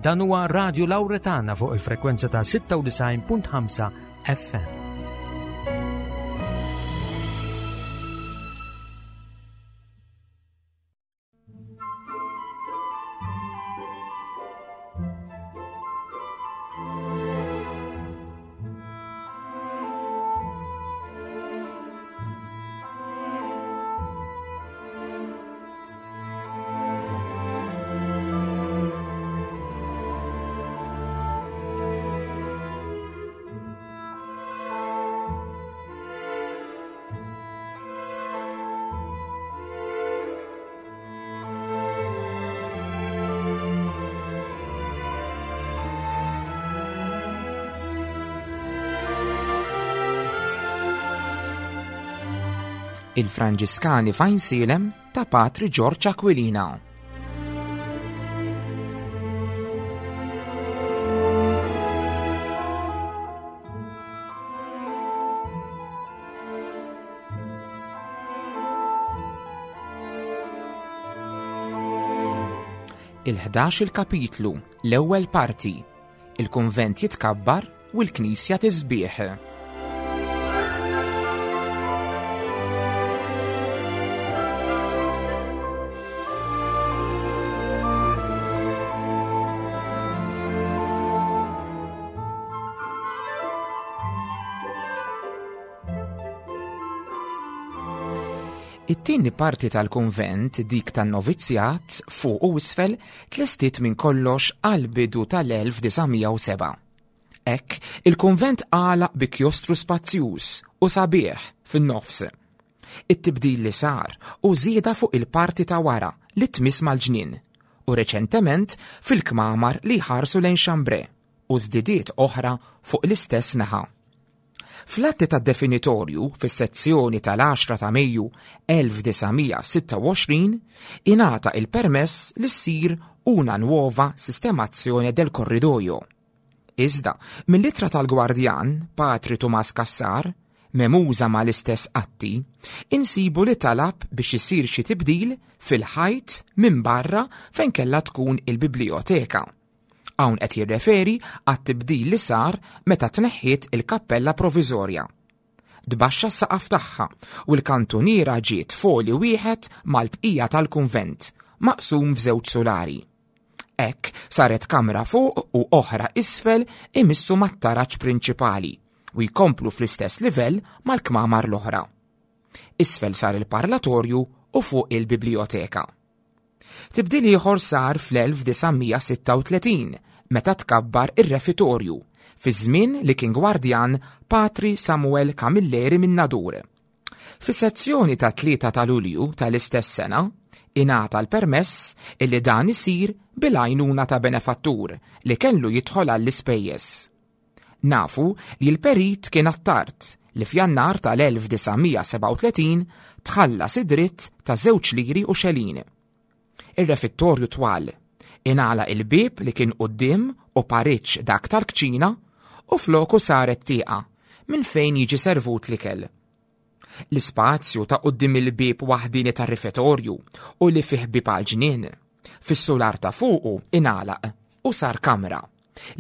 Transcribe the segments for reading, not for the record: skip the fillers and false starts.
Dan huwa Radio Lauretana fuq il-frekwenza ta' 96.5 FM. Il-Franġiskani f'Għajnsielem ta' Patri Ġorġ Aquilina. Il-11 il-kapitlu, l-ewwel parti. Il-kunvent jitkabbar u l-knisja tisbieħ. It-tieni parti tal-kunvent, dik tan-novizzjat, fuq u isfel, tlestiet minn kollox għall-bidu tal-1907. Hekk, il-kunvent għalaq bi kjostru spazjuż u sabiħ fin-nofs. It-tibdil li sar hu żieda fuq il-parti ta' wara li tmiss mal-ġnien u reċentement fil-kmamar li jħarsu lejn Chambray u żdidiet oħra fuq l-istess naħa. Fl-atti tad-definitorju fis-sezzjoni tal-10 ta' Mejju 1926 ingħata il-permess li ssir una nuova sistemazione del corridoio. Iżda, mill-ittra tal-gwardjan, Patri Tumas Cassar, memuża mal-istess atti, insibu li talab biex isir xi tibdil fil-ħajt minn barra fejn kellha tkun il-biblijoteka. Hawn qed jirreferi għat-tibdil li sar meta tneħħiet il-kappella proviżorja. Tbaxxa s-saqaf tagħha u l-kantuniera ġiet f'għoli wieħed mal-bqija tal-kunvent, maqsum f'żewġ sulari. Hekk saret kamra fuq u oħra isfel imissu mat-taraġ prinċipali u jkomplu fl-istess livell mal-kmamar l-oħra. Isfel sar il-parlatorju u fuq il-biblijoteka. Tibdil ieħor sar fl-1936 meta tkabbar ir-refitorju, fi żmien li kien gwardjan Patri Samuel Camilleri minn Nadur. Fis-sezzjoni tat-3 ta' Lulju tal-istess sena, ingħata l-permess illi dan isir bil-għajnuna ta' benefattur li kellu jidħol għall-ispejjeż. Nafu li l-perit kien Attard li f'Jannar tal-1937 tħallas id-dritt ta' żewġ liri u xelin. Ir-refittorju twal, ingħalaq il-bieb li kien quddiem u pariġġ dak tal-kċina u floku saret tieqa minn fejn jiġi servut l-ikel. L-ispazju ta' quddiem il-bieb waħdieni tar-rifetorju u li fih bieb għall-ġnien, fis-sular ta' fuqu ingħalaq u sar kamra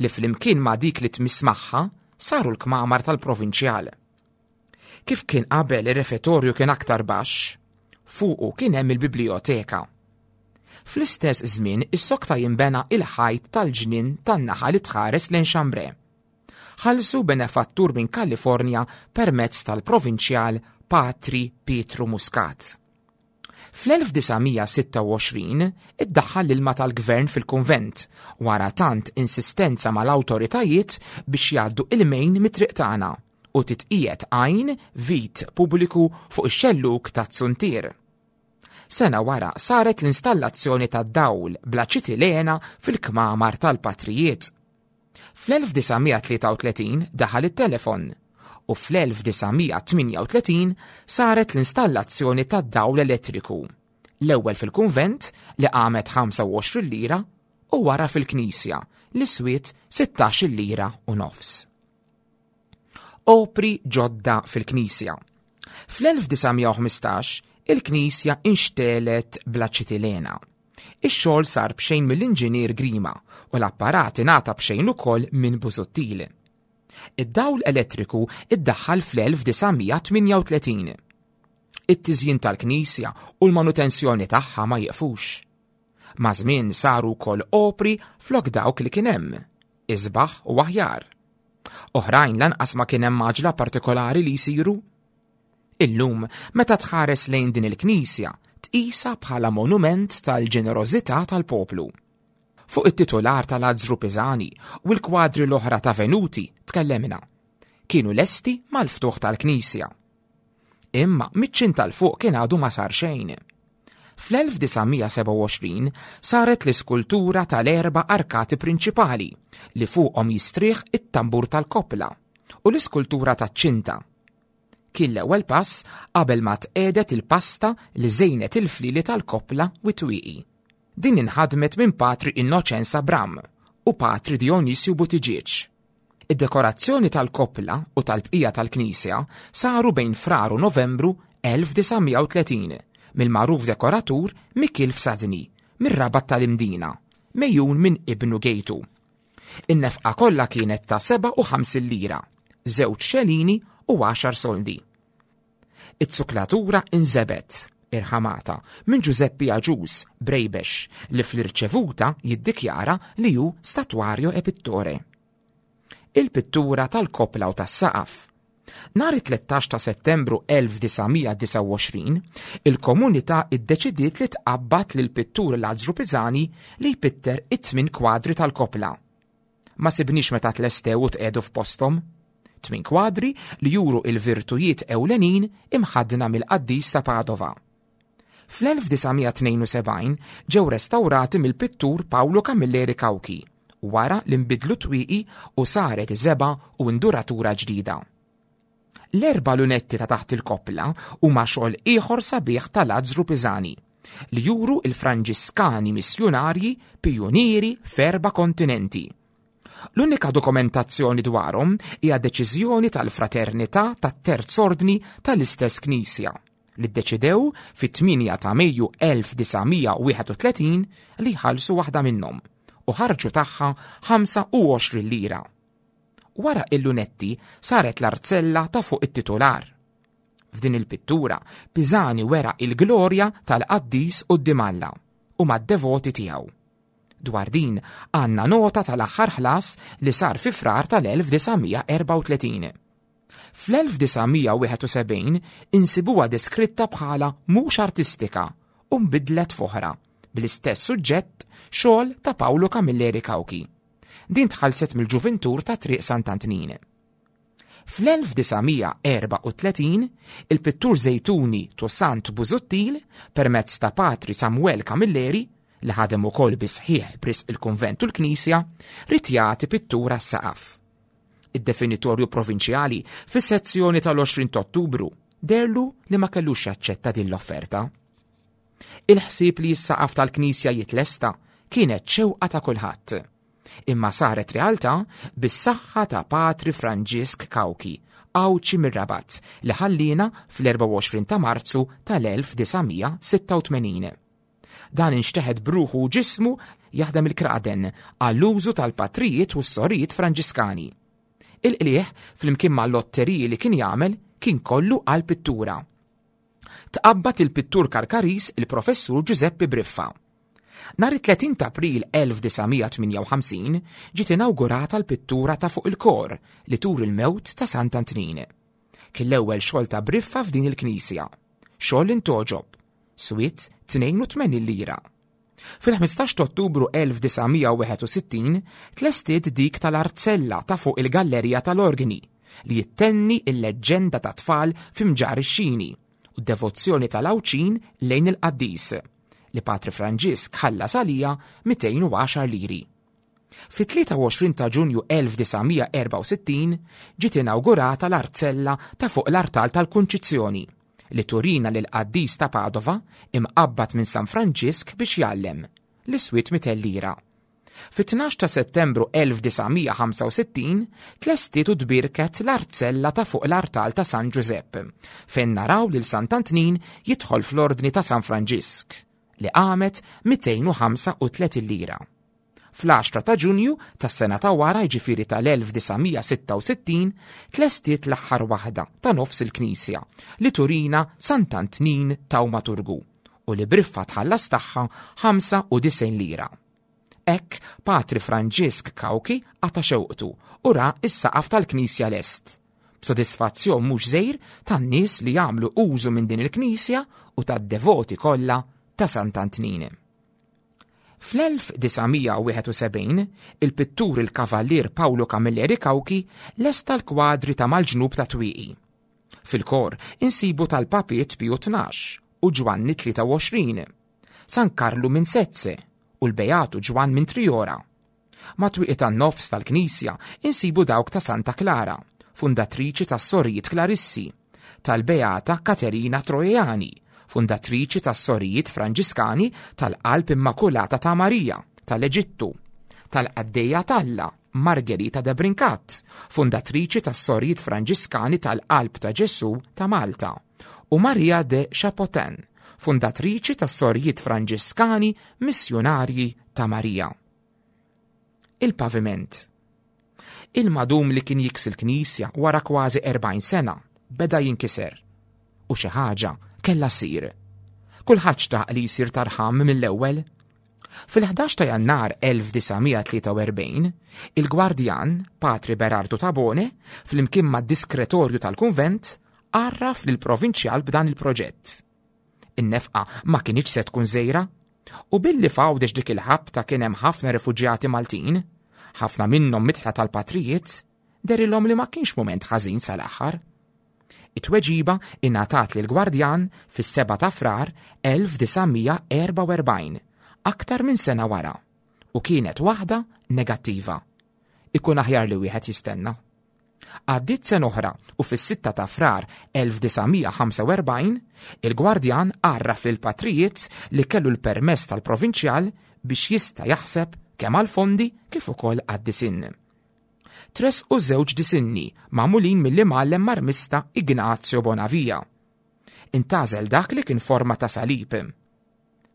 li flimkien ma' dik li tmiss magħha saru l-kmamar tal-provinċjal. Kif kien qabel ir-refetorju kien aktar baxx, fuqu kien hemm il-biblijoteka. Fl-istess żmien issokta jinbena il-ħajt tal-ġnien tan-naħa li tħares lejn Chambray. Ħallsu benefattur minn Kalifornja permezz tal-provinċjal Patri Pietru Muscat. Fl-1926 iddaħħal l-ilma tal-gvern fil-kunvent wara tant insistenza mal-awtoritajiet biex jgħaddu il-mejn mit-triq tagħna u titqiegħed għajn vit pubbliku fuq ix-xellug taz-zuntier. Sena wara saret l-installazzjoni tad-dawl bl-aċitilena fil-kmamar tal-patrijiet. Fl-1933 daħal it-telefon u fl-1938 saret l-installazzjoni tad-dawl elettriku, l-ewwel fil-kunvent li qamet 25 lira u wara fil-knisja li swiet 16 lira u nofs. Opri ġodda fil-knisja. Fl-1915 il-knisja inxtelet bl-aċitilena. Ix-xogħol sar b'xejn mill-inġinier Grima u l-apparat ingħata b'xejn ukoll minn Busuttil. Id-dawl elettriku iddaħħal fl-1938. It-tiżjin tal-knisja u l-manutenzjoni tagħha ma jiqfux. Maż-żmien saru wkoll opri flok dawk li kien hemm, isbaħ u aħjar. Oħrajn lanqas ma kien hemm għaġla partikolari li jsiru. Illum, meta tħares lejn din il-knisja, tqisha bħala monument tal-ġenerożità tal-poplu. Fuq it-titular ta' Lazzru Pisani u l-kwadri l-oħra ta' Venuti tkellemna. Kienu lesti mal-ftuħ tal-knisja. Imma miċ-ċint tal-fuq kien għadu ma sar xejn. Fl-1927 saret l-iskultura tal-erba' arkati prinċipali li fuqhom jistrieħ it-tambur tal-koppla u l-iskultura taċ-ċinta. Kien l-ewwel pass qabel ma tqiegħdet il-pasta li żejnet il-flieli tal-koppla u t-twieqi. Din inħadmet minn Patri Innoċenz Abram u Patri Dionisju Buttigieg. Id-dekorazzjoni tal-koppla u tal-bqija tal-knisja saru bejn Frar u Novembru 1930 mill-magħruf dekoratur Mikiel Fsadni mir-Rabat tal-Imdina, megħjun minn ibnu Gejtu. In-nefqa kollha kienet ta' 57 lira, żewġ xelini u għaxar soldi. Iz-zuklatura inżebgħet, irħamata, minn Ġużeppi Agius, Brejbex, li fl-irċevuta jiddikjara li hu statuario e pittore. Il-pittura tal-koppla u tas-saqaf. Nhar it-13 ta' Settembru 1929, il-komunità iddeċidiet li tqabbad lill-pittur Lazzru Pisani li jpitter it-tmien kwadri tal-koppla. Ma sibniex meta tlestew u tqiegħdu f'posthom. Tmin kwadri li juru il-virtujiet ewlenin imħaddna mill-qaddis ta' Padova. Fl-1972 ġew restawrati mill-pittur Paolo Camilleri Cauchi wara li nbidlu twieqi u saret żebgħa u induratura ġdida. L-erba' lunetti ta' taħt il-koppla huma xogħol ieħor sabiħ ta' Lazzru Pisani li juru il-Franġiskani missjunarji pijunieri f'erba' kontinenti. L-unika dokumentazzjoni dwarhom hija deċiżjoni tal-Fraternità tat-Terz Ordni tal-istess Knisja li ddeċidew fit-8 ta' Mejju 1931 li jħallsu waħda minnhom u ħarġu tagħha 25 lira. Wara il-lunetti saret l-arzella ta' fuq it-titular. F'din il-pittura, Pisani wera il-glorja tal-qaddis quddiem Alla u mad-devoti tiegħu. Dwar din għandna nota tal-aħħar ħlas li sar fi Frar tal-1934. Fl-1971 insibuha deskritta bħala mhux artistika u nbidlet f'oħra bl-istess suġġett xogħol ta' Paolo Camilleri Cauchi. Din tħallset mill-ġuvintur ta' Triq Sant'Antnin. Fl-1934, il-pittur Żejtuni Toussaint Busuttil, permezz ta' Patri Samuel Camilleri, li ħadem ukoll bi sħiħ b'risq il-kunvent u l-knisja, ried jagħti pittura s-saqaf. Id-definitorju provinċjali fis-sezzjoni tal-20 ta' Ottubru deherlu li ma kellux jaċċetta din l-offerta. Il-ħsieb li s-saqaf tal-knisja jitlesta kienet xewqa ta' kulħadd. Imma saret realtà bis-saħħa ta' Patri Franġisk Cauchi, Għawdxi mir-Rabat, li ħalliena fl-24 ta' Marzu tal-1986. Dan inxteħet b'ruħu u ġismu jaħdem il-kraden għall-użu tal-patrijiet u s-sorijiet Franġiskani. Il-qligħ, flimkien mal-lotteriji li kien jagħmel, kien kollu għall-pittura. Tqabbad il-pittur Karkariż il-Professur Ġużeppi Briffa. Nhar it-30 ta' April 1958 ġiet inawgurata l-pittura ta' fuq il-kor li turi l-mewt ta' Sant'Antnin. Kien l-ewwel xogħol ta' Briffa f'din il-knisja. Xogħol li ntgħoġob. Swiet 82 lira. Fil-15 ta' Ottubru 1961 tlestiet dik tal-Arzella ta' fuq il-gallerija tal-organi li jittenni il-leġġenda ta' tfal fi Mġarr ix-Xini u d-devozzjoni tal-Għawdxin lejn il-qaddis li Patri Franġisk ħallas għaliha 210 liri. Fit-23 ta' Ġunju 1964 ġiet inawgurata l-arzella ta' fuq l-artal tal-Kunċizzjoni li turina lill-qaddis ta' Padova imqabbad minn San Franġisk biex jgħallem, li swiet 200 lira. Fit-12 ta' Settembru 1965 tlestiet u tbierket l-arzella ta' fuq l-artal ta' San Ġużepp, fejn naraw lil Sant'Antnin jidħol fl-Ordni ta' San Franġisk, li qamet 235 lira. Fl-10 ta' Ġunju tas-sena ta' wara jiġifieri tal-1966 tlestiet l-aħħar waħda ta' nofs il-knisja li turina Sant'Antnin Tawmaturgu u li briffa tħallas tagħha 95 lira. Hekk Patri Franġisk Cauchi qata' xewqtu u ra s-saqaf tal-knisja lest, b'sodisfazzjon mhux żgħir tan-nies li jagħmlu użu minn din il-knisja u tad-devoti kollha ta' Sant'Antnin. Fl-1971, il-pittur il-Kavallier Paolo Camilleri Cauchi lesta l-kwadri ta' mal-ġnub ta' twieqi. Fil-kor insibu tal-Papiet Piju 12 u Ġwanni 23, San Karlu minn Sezze u l-Beatu Ġwann minn Triora. Mat-twieqi tan-nofs tal-knisja insibu dawk ta' Santa Klara, fundatriċi tas-Sorijiet Klarissi, tal-Beata Katerina Troiani, fundatriċi tas-Sorijiet Franġiskani tal-Qalb Immakulata ta' Marija, tal-Eġittu, tal-Qaddejja t'Alla, Margherita de Brincat, fundatriċi tas-Sorijiet Franġiskani tal-Qalb ta' Ġesù ta' Malta, u Maria de Chapotin, fundatriċi tas-Sorijiet Franġiskani Missjunarji ta' Marija. Il-paviment. Il-madum li kien jiksi l-knisja wara kważi 40 sena beda jinkiser u xi ħaġa kellha ssir. Kulħadd xtaq li jsir tarħam mill-ewwel. Fil-11 ta' Jannar 1943, il-gwardjan, Patri Berardo Tabone, flimkien mad-diskretorju tal-kunvent, għarraf lill-provinċjal b'dan il-proġett. In-nefqa ma kinitx se tkun żgħira. U billi f'Għawdex dik il-ħabta kien hemm ħafna refuġjati Maltin, ħafna minnhom midħla tal-patrijiet, derilhom li ma kienx mument ħażin sal-aħħar. It-tweġiba ingħatat lill-Gwardjan fis-7 ta' Frar 1944, aktar minn sena wara, u kienet waħda negattiva. Ikun aħjar li wieħed jistenna. Għaddiet sena oħra u fis-6 ta' Frar 1945, il-Gwardjan għarraf lill-patrijiet li kellu l-permess tal-Provinċjal biex jista' jaħseb kemm għall-fondi kif ukoll għad-disinn. Tressqu żewġ disinni magħmulin mill-imgħallem marmista Ignazio Bonavia. Intgħażel dak li kien forma ta' salib.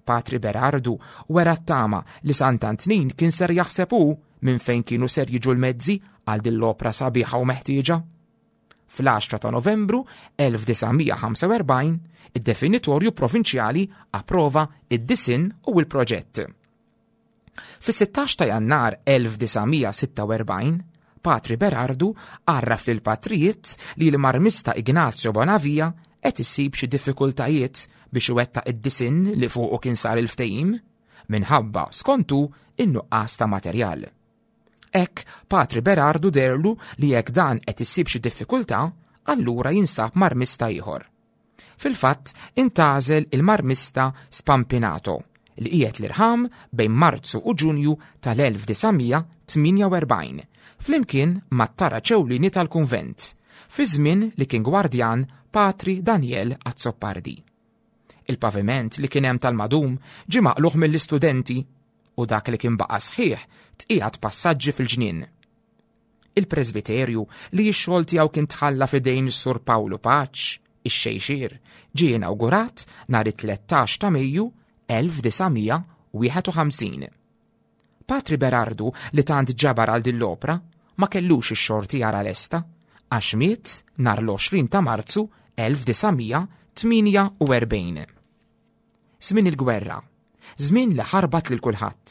Patri Berardu wera t-tama li Sant'Antnin kien ser jaħseb hu minn fejn kienu ser jiġu l-mezzi għal din l-opra sabiħa u meħtieġa. Fl-10 ta' Novembru 1945, id-definitorju provinċjali approva id-disinn u l-proġett. Fis-16 ta' Jannar 1946, Patri Berardu għarraf lill-patrijiet li l-marmista Ignazio Bonavia qed isib xi diffikultajiet biex iwettaq id-disinn li fuqu kien sar il-ftehim, minħabba, skont hu, in-nuqqas ta' materjal. Hekk, Patri Berardu deherlu li jekk dan qed isib xi diffikultà, allura jinsab marmista ieħor. Fil-fatt, intgħażel il-marmista Spampinato, li qiegħed l-irħam bejn Marzu u Ġunju tal-1948, flimkien mat-taraġ ewlieni tal-kunvent, fi żmien li kien gwardjan Patri Daniel Azzopardi. Il-paviment li kien hemm tal-madum ġie maqlugħ mill-istudenti u dak li kien baqa' sħiħ tqiegħed passaġġi fil-ġnien. Il-presbiterju, li x-xogħol tiegħu kien tħalla f'idejn is-Sur Pawlu Paċ, ix-Xejxier, ġie inawgurat nhar it-13 ta' Mejju 1951. Patri Berardu li tant ġabar għal din l-opra ma kellux ix-xorti jara lesta għax miet nhar l-20 ta' Marzu 1948. Żmien il-gwerra, żmien li ħarbat lil kulħadd.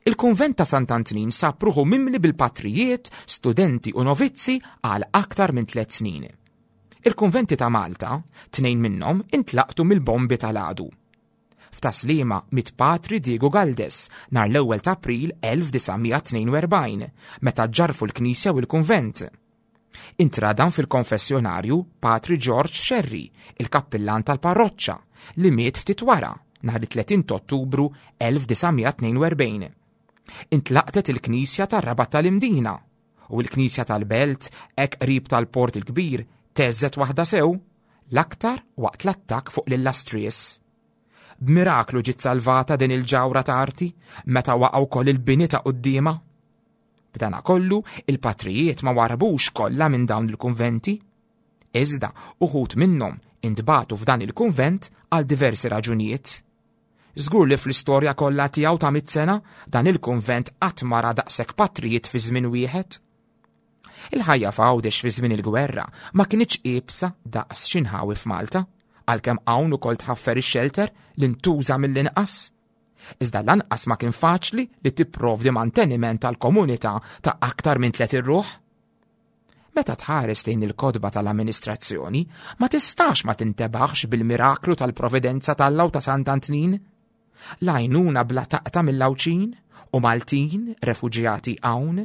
Il-kunvent ta' Sant'Antnin sab ruħu mimli bil-patrijiet, studenti u novizzi għal aktar minn tliet snin. Il-kunventi ta' Malta, tnejn minnhom intlaqtu mill-bombi tal-għadu. F'Tas-Sliema miet Patri Diego Galdes nhar l-ewwel ta' April 1942 meta ġġarrfu l-knisja u l-kunvent. Intradam fil-konfessjonarju Patri George Scerri, il-kappillan tal-parroċċa, li miet ftit wara, nhar it-30 t'Ottubru 1942. Intlaqtet il-knisja tar-Rabat tal-Imdina, u l-knisja tal-Belt, hekk qrib tal-Port il-Kbir, theżżet waħda sew, l-aktar waqt l-attakk fuq l-Illastries. B'miraklu ġiet salvata din il-ġawhra ta' arti meta waqa' wkoll il-bini ta' quddiemha. B'danakollu, il-patrijiet ma warrbux kollha minn dawn il-kunventi. Iżda, uħud minnhom intbagħtu f'dan il-kunvent għal diversi raġunijiet. Żgur li fl-istorja kollha tiegħu ta' mit sena dan il-kunvent qatt ma ra daqshekk patrijiet fi żmien wieħed. Il-ħajja f'Għawdex fi żmien il-gwerra ma kinitx iebsa daqs xi nħawi f'Malta, għalkemm hawn ukoll tħaffer ix-xelter li ntuża mill-inqas. Iżda lanqas ma kien faċli li tipprovdi manteniment għal komunità ta' aktar minn 30 ruħ. Meta tħares lejn il-kotba tal-amministrazzjoni, ma tistax ma tintebaħx bil-miraklu tal-providenza t'Alla u ta' Sant'Antnin. L-għajnuna bla taqta' mill-Għawdxin u Maltin refuġjati hawn.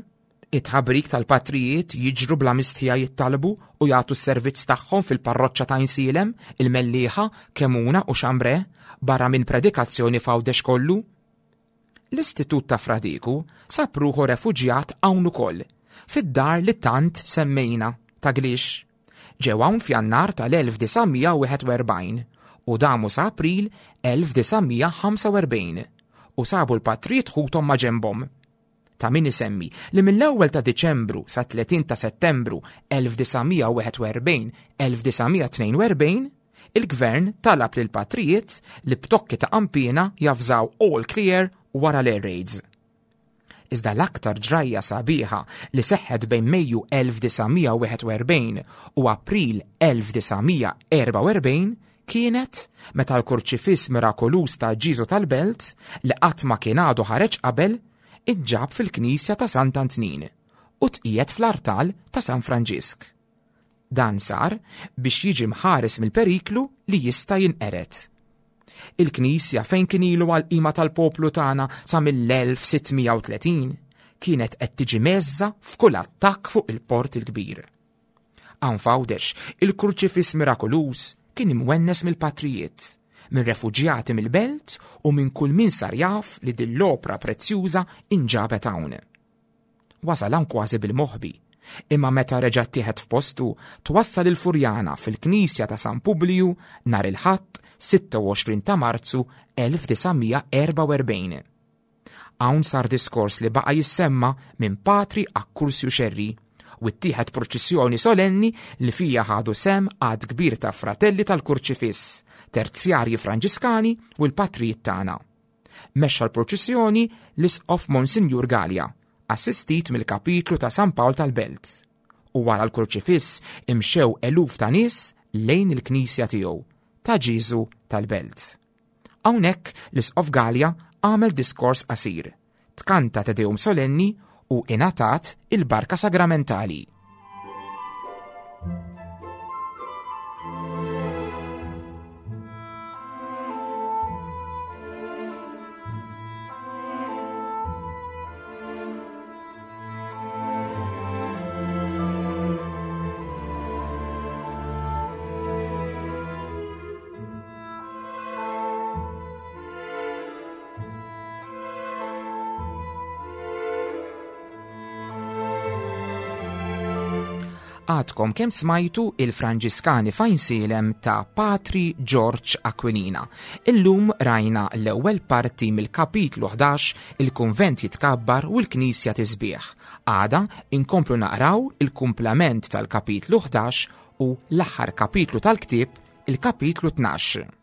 It-tħabrik tal-patrijiet jiġru bla mistħija jittalbu u jagħtu s-servizz tagħhom fil-parroċċa ta' Għajnsielem, il-Mellieħa, Kemuna u Xambre, barra minn predikazzjoni f'Għawdex kollu. L-Istitut ta' Fra Diku sab ruħu refuġjat hawn ukoll, fid-dar li tant semmejna, ta' Glix. Ġew hawn f'Jannar tal-1941 u damu sa April 1945 u sabu l-patrijiet ħuthom ma' ġenbhom. Ta' min isemmi li mill-ewwel ta' Diċembru sa 30 ta' Settembru 1941 1942 il-Gvern talab lill-patrijiet li b'tokki ta' qanpiena javżaw all clear wara l-air raids. Iżda l-aktar ġrajja sabiħa li seħħet bejn Mejju 1941 u April 1944 kienet meta l-kurċifiss mirakoluż ta' Ġiżu tal-Belt, li qatt ma kien għadu ħareġ qabel, inġab fil-knisja ta' Sant'Antnin u tqiegħed fl-artal ta' San Franġisk. Dan sar biex jiġi mħares mill-periklu li jista' jinqered. Il-knisja fejn kien ilu għall-qima tal-poplu tagħna sa mill-1630 kienet qed tiġi mezza f'kull attakk fuq il-Port il-Kbir. Hawn f'Għawdex, il-kurċifiss mirakoluż kien imwennes mill-patrijiet, minn refuġjati mill-belt u minn kull min sar jaf li din l-opra prezzjuża inġabet hawn. Wasal hawn kważi bil-moħbi, imma meta reġa' ttieħed f'postu, twassal il-Furjana fil-Knisja ta' San Publiju nhar il-Ħadd 26 ta' Marzu 1944. Hawn sar diskors li baqa' jissemma minn Patri Akkursju Xerri u ttieħed purċissjoni solenni li fija ħadu sehem għadd kbir ta' fratelli tal-Kurċifiss, terzjarji Franġiskani u l-patrijiet tagħna. Mexxa l-purċissjoni l-Isqof Monsinjur Galea, assistit mill-Kapitlu ta' San Pawl tal-Belt. U wara l-Kurċifiss imxew eluf ta' nies lejn il-knisja tiegħu, ta' Ġieżu tal-Belt. Hawnhekk l-Isqof Galea għamel diskors qasir, tkanta Te Deum solenni u ingħatat il-barka sagramentali. Għadkom kemm smajtu il-Franġiskani f'Għajnsielem ta' Patri George Aquilina. Illum rajna l-ewwel parti mill-kapitlu 11 il-kunvent jitkabbar u l-knisja tisbieħ. Għada inkomplu naqraw il-kumplament tal-kapitlu 11 u l-aħħar kapitlu tal-ktieb, il-kapitlu 12.